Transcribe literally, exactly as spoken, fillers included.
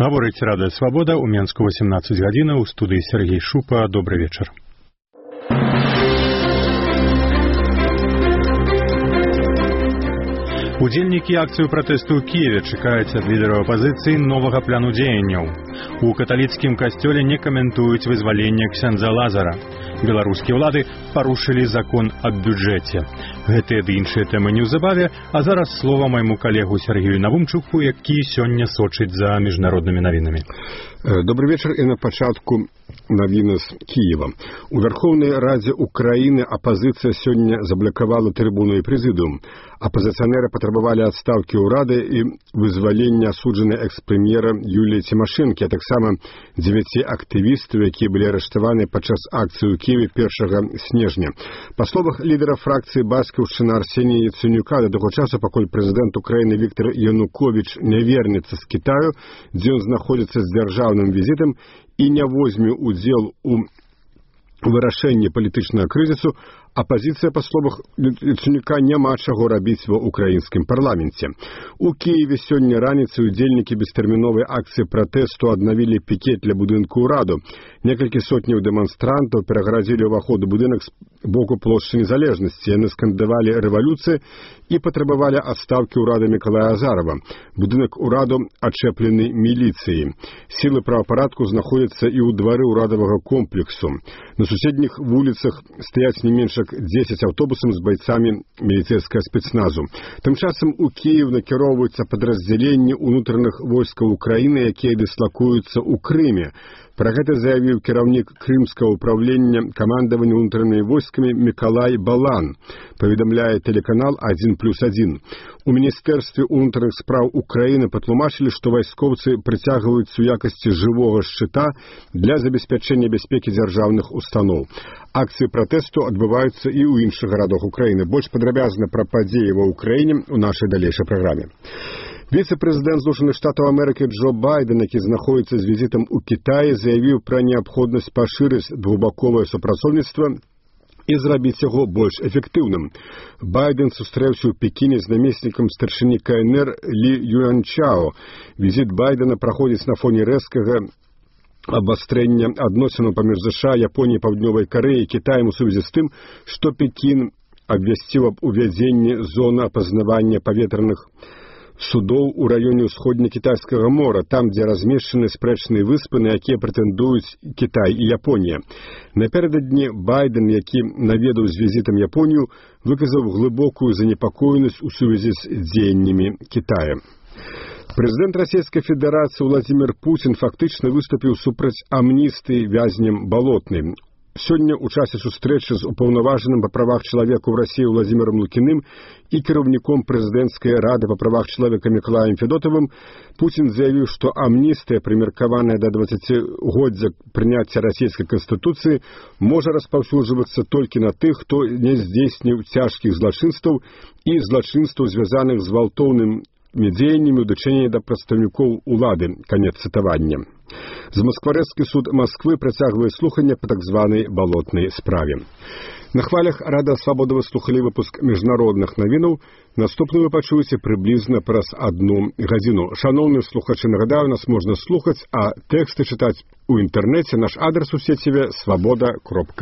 Гаворыць Радыё Свабода, у Менску восемнадцать гадзінаў, у студыі Сергей Шупа. Добрый вечер. Удзельнікі акцыю пратэсту ў Кіеве чакаюць ад лідараў апазіцыі новага плану дзеянняў. У каталіцкім касцёле не каментуюць вызваленне ксяндза Лазара. Беларускія ўлады парушылі закон аб бюджэце. Гэтыя ды іншыя тэмы неўзабаве, а зараз слова майму калегу Сергею Навумчуку, які сёння сочыць за міжнароднымі навінамі. Добрый вечер и на початку навіны з Киева. У Верховнай Радзе Украины оппозиция сегодня заблокировала трибуну и президиум. Оппозиционеры потребовали отставки урады и вызволения осудженной экс-премьера Юлии Тимошенко, а так само девяти активистов, которые были арестованы подчас акции в Киеве первого снежня. По словах лидера фракции Басківщина Арсенія Яценюка, до того часу, поколь президент Украины Виктор Янукович не вернется с Китаю, где он находится с державным визитом и не возьме удел у вырашэння палітычнага крызісу, апозіцыя, па словах Яценюка, няма чаго рабіць ва ўкраінскім парламенце. У Киеве сёння раніцай удзельнікі бестэрміновай акцыі пратэсту аднавілі пікет ля будынку ўраду. Некалькі сотняў дэманстрантаў перагарадзілі ўваход у будынак з боку плошчы Незалежнасці. Яны скандавалі рэвалюцыі і патрабавалі адстаўкі ўрада Мікалая Азарова. Будынак ураду ачэплены міліцыяй. Сілы правапарадку знаходзяцца і ў двары ўрадавага комплексу. На суседніх вуліцах стаяць не менш десять автобусов с бойцами милицейского спецназу. Тым часам у Киев накіроўваюцца падраздзяленні ўнутраных войскаў Украіны, якія дыслакуюцца ў Крыме. Пра гэта заявіў кіраўнік крымскага ўправлення камандавання ўнутранымі войскамі Мікалай Балан, паведамляе тэлеканал один плюс один. У Міністэрстве ўнутраных спраў Украіны патлумачылі, што вайскоўцы прыцягваюцца ў якасці жывога шчыта для забеспячэння бяспекі дзяржаўных устаноў. Акцыі пратэсту адбываюцца і ў іншых гарадах Украіны. Больш падрабязна пра падзеі ва Ўкраіне ў нашай далейшай праграме. Віцэ-прэзідэнт Злучаных Штатаў Амерыкі Джо Байден, які знаходзіцца з візітам у Кітаі, заявіў пра неабходнасць пашырыць двухбаковае супрацоўніцтва і зрабіць яго больш эфектыўным. Байден сустрэўся ў Пекіне з намеснікам старшыні ка эн эр Лі Юанчао. Візіт Байдена праходзіць на фоне рэзкага абвастрэння адносінаў паміж ЗША, Японіяй, Паўднёвай Карэяй і Кітаем у сувязі з тым, што Пекін абвясціў аб увядзенні зоны апазнавання паветраных судоў у раёне ўсходне-кітайскага мора, там, дзе размешчаны спрэчныя выспы, на якія прэтэндуюць Кітай і Японія. Напярэдадні Байден, які наведаў з візітам Японію, выказаў глыбокую занепакоенасць у сувязі з дзеяннямі Кітая. Прэзідэнт Расійскай Федэрацыі Владзімір Пуцін фактычна выступіў супраць амністыі вязням Балотнай. Сёння ў часе сустрэчы з упаўнаважаным па правах чалавека ў Расіі Владзімірам Лукіным і кіраўніком прэзідэнцкай рады па правах чалавека Мікалаем Федотавым Пуцін заявіў, што амністыя, прымеркаваная да дваццацігоддзя прыняцця расійскай канстытуцыі, можа распаўсюджвацца толькі на тых, хто не здзейсніў цяжкіх злачынстваў і злачынстваў, звязаных з гвалтоўным дзеяннямі ў дачыненні да прадстаўнікоў улады. Канец цытавання. Замаскварэцкі суд Масквы працягвае слуханне па так званай балотнай справе. На хвалях Радыё Свабода вы слухалі выпуск міжнародных навінаў. Наступны вы пачуеце прыблізна праз адну гадзіну. Шаноўныя слухачы, нагадаю, нас можна слухаць, а тэксты чытаць у інтэрнэце. Наш адрас у сеціве свабода кропка